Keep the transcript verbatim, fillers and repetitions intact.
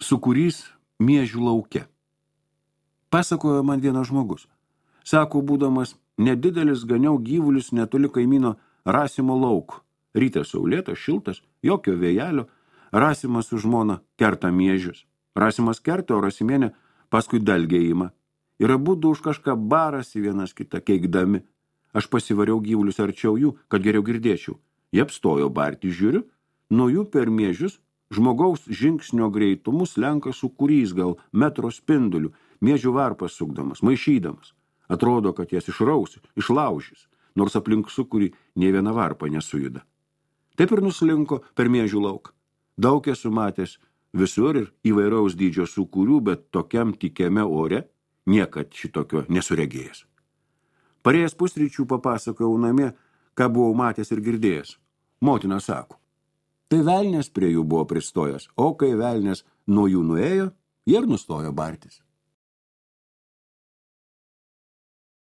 Sūkurys miežių lauke. Pasakojo man vienas žmogus. Sako, būdamas nedidelis, ganiau gyvulius netoli kaimyno Rasimo lauko. Rytas saulėtas, šiltas, jokio vėjelio. Rasimas su žmona kerta miežius. Rasimas kerta, o Rasimienė paskui dalgė ima. Ir abudu už kažką barasi vienas kitą keikdami. Aš pasivariau gyvulius arčiau jų, kad geriau girdėčiau. Jie apstojo barti, žiūriu, nuo jų per miežius žmogaus žingsnio greitumu slenka sūkurys gal metro spinduliu, miežių varpas sukdamas, maišydamas. Atrodo, kad jas išrausi, išlaužys, nors aplink sūkurį nei viena varpa nesujuda. Taip ir nuslinko per miežių lauką. Daug esu matęs visur ir įvairaus dydžio sūkurių, bet tokiam tikiame ore niekad šitokio nesuregėjęs. Parėjęs pusryčių papasakojau namie, ką buvau matęs ir girdėjęs. Motina sako, tai velnės prie jų buvo pristojęs, o kai velnės nuo jų nuėjo, jie ir nustojo bartis.